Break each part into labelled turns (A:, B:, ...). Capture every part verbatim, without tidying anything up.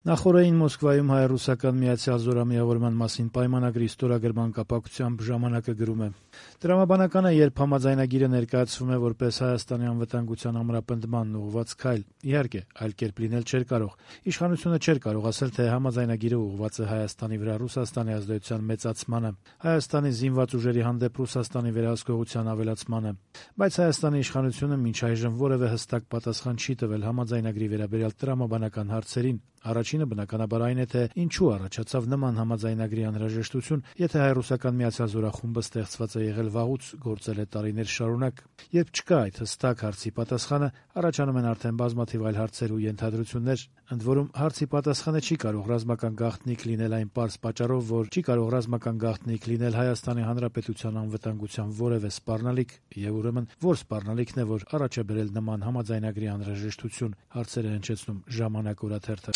A: Նախօրեին Մոսկվայում հայ-ռուսական միացյալ զորամիավորման մասին պայմանագրի ստորագրման կապակցությամբ «Ժամանակ»-ը գրում է. «Տրամաբանական է, երբ համաձայնագիրը ներկայացվում է որպես Հայաստանի անվտանգության ամրապնդմանն ուղղված քայլ։ Իհարկե, այլ կերպ լինել չէր կարող։ Իշխանությունը չէր կարող ասել, թե համաձայնագիրը ուղղված է Հայաստանի վրա Ռուսաստանի ազդեցության մեծացմանը, Հայաստանի զինված ուժերի հանդեպ Ռուսաստանի վերահսկողության ավելացմանը։ Բայց Հայաստանի իշխանությունը մինչ այժմ որևէ հստակ պատասխան չի տվել համաձայնագրի վերաբերյալ տրամաբանական հարցերին։ Առաջինը բնականաբար այն է, թե ինչու առաջացավ նման համաձայնագրի անհրաժեշտություն, եթե հայ-ռուսական միացյալ զորախումբը ստեղծված է եղել վաղուց, գործել է տարիներ շարունակ։ Երբ չկա այդ հստակ հարցի պատասխանը, առաջանում են արդեն բազմաթիվ այլ հարցեր ու ենթադրություններ, ընդ որում հարցի պատասխանը չի կարող ռազմական գաղտնիք լինել այն պարզ պատճառով, որ չի կարող ռազմական գաղտնիք լինել Հայաստանի Հանրապետության անվտանգության որևէ սպառնալիք, եւ ուրեմն որ սպառնալիքն է, որ առաջ է բերել նման համաձայնագրի անհրաժեշտություն, հարցերը հնչեցնում «Ժամանակ» օրաթերթը»։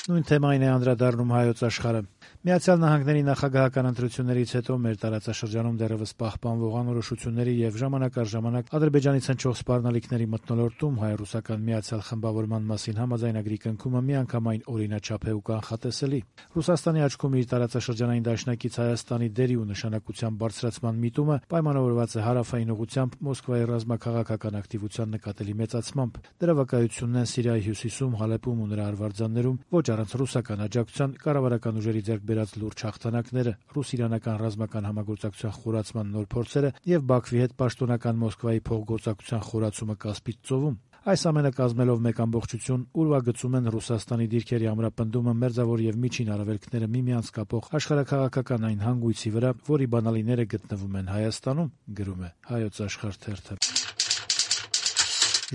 A: Նույն թեմային է անդրադառնում «Հայոց Աշխարհը»։ Միացյալ Նահանգների նախագահական ընտրություններից հետո մեր տարածաշրջանում դեռևս պահպանվող անորոշությունների եւ ժամանակ առ ժամանակ Ադրբեջանից հնչող սպառնալիքների մթնոլորտում հայ-ռուսական միացյալ խմբավորման մասին համաձայնագրի կնքումը միանգամայն օրինաչափ է ու կանխատեսելի։ Ռուսաստանի աչքում իր տարածաշրջանային դաշնակից Հայաստանի դերի ու նշանակության բարձրացման միտումը պայմանավորված է հարավային ուղղությամբ Մոսկվայի ռազմաքաղաքական ակտիվության նկատելի մեծացմամբ։ Դրա վկայությունն են Սիրիայի հյուսիսում, Հալեպում ու նրա արվարձաններում ոչ առանց ռուսական աջակցության կառավարական ուժերի ձեռք բերած լուրջ հաղթանակները, ռուս-իրանական ռազմական համագործակցության խորացման նոր փորձերը եւ Բաքվի հետ պաշտոնական Մոսկվայի փոխգործակցության խորացումը Կասպից ծովում։ Այս ամենը կազմելով մեկ ամբողջություն ուրվագծում են Ռուսաստանի դիրքերի ամրապնդումը մերձավոր եւ միջին արևելքները միմյանց կապող աշխարհաքաղաքական այն հանգույցի վրա, որի բանալիները գտնվում են Հայաստանում, գրում է Հայոց Աշխարհ թերթը։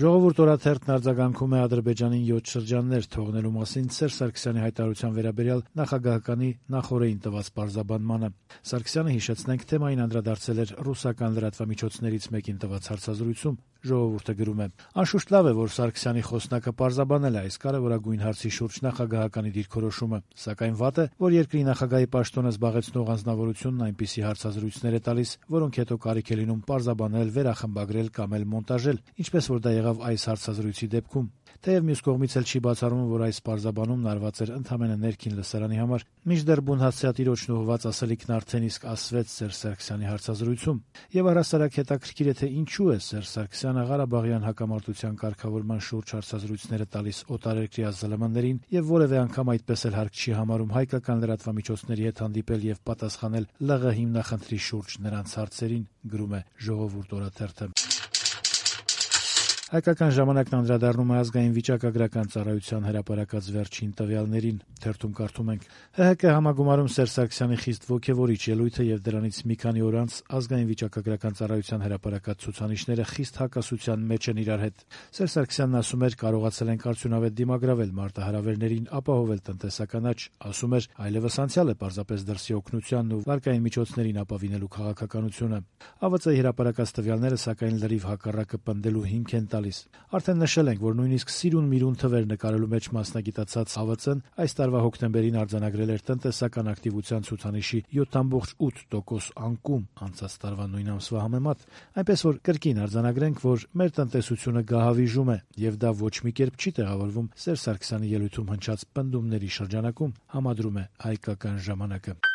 A: Ժողովուրդ օրաթերթն արձագանքում է Ադրբեջանին յոթ շրջաններ թողնելու մասին Սերժ Սարգսյանի հայտարարության վերաբերյալ նախագահականի նախօրեին տված պարզաբանմանը։ Սարգսյանը, հիշեցնենք, թեմային անդրադարձել էր ռուսական լրատվամիջոցներից մեկին տված հարցազրույցում։ Ժողովուրդը գրում է. «Անշուշտ լավ է, որ Սարգսյանի խոսնակը պարզաբանել է այս կարևորագույն հարցի շուրջ նախագահականի դիրքորոշումը, սակայն վատ է, որ երկրի նախագահի պաշտոնը զբաղեցնող անձնավորությունն այնպիսի հարցազրույցներ է տալիս, որոնք հետո կարիք է լինում պարզաբանել, վերախմբագրել կամ էլ մոնտաժել, ինչպես որ դա եղավ այս հարցազրույցի դեպքում։ Թեև մյուս կողմից էլ չի բացառվում, որ այս պարզաբանումն արված էր ընդամենը ներքին լսարանի համար, մինչդեռ բուն հացիատիրոջն ուղղված ասելիքն արդեն իսկ ասվեց Սերժ Սարգսյանի հարցազրույցում։ Եվ առհասարակ հետաքրքիր է, թե ինչու է Սերժ Սարգսյանը Ղարաբաղյան հակամարտության կարգավորման շուրջ հարցազրույցները տալիս օտարերկրյա զլմ-ներին եւ որևէ անգամ այդպես էլ հարկ չի համարում հայկական լրատվամիջոցների հետ հանդիպել եւ պատասխանել ԼՂ հիմնախնդրի շուրջ նրանց հարցերին, գրում է Ժողովուրդ օրաթերթը։ Հայկական ժամանակն անդրադառնում է ազգային վիճակագրական ծառայության հրապարակած վերջին տվյալներին։ Թերթում կարդում ենք. «Հ Հ K համագումարում Սերժ Սարգսյանի խիստ ոգևորիչ ելույթը եւ դրանից մի քանի օր անց ազգային վիճակագրական ծառայության հրապարակած ցուցանիշները խիստ հակասության մեջ են իրար հետ։ Սերժ Սարգսյանն ասում էր, կարողացել ենք արդյունավետ դիմագրավել մարտահրավերներին, ապահովել տնտեսական աճ, ասում էր, այլևս անցյալ է պարզապես դրսի օգնությանն ու վարկային միջոցներին ապավինելու քաղաքականությունը։ Ա V Ծ-ի հրապարակած տվյալները սակայն լրիվ հակառակը պնդելու հիմք են տալիս։ Արդեն նշել ենք, որ նույնիսկ սիրուն-միրուն թվեր նկարելու մեջ մասնագիտացած Ա V Ծ-ն այս տարվա հոկտեմբերին արձանագրել էր տնտեսական ակտիվության ցուցանիշի յոթ տասնյակ ութ տոկոս անկում անցած տարվա նույն ամսվա համեմատ, այնպես որ կրկին արձանագրենք, որ մեր տնտեսությունը գահավիժում է, եւ դա ոչ մի կերպ չի տեղավորվում Սերժ Սարգսյանի ելույթում հնչած պնդումների շրջանակում, համադրում է Հայկական ժամանակը։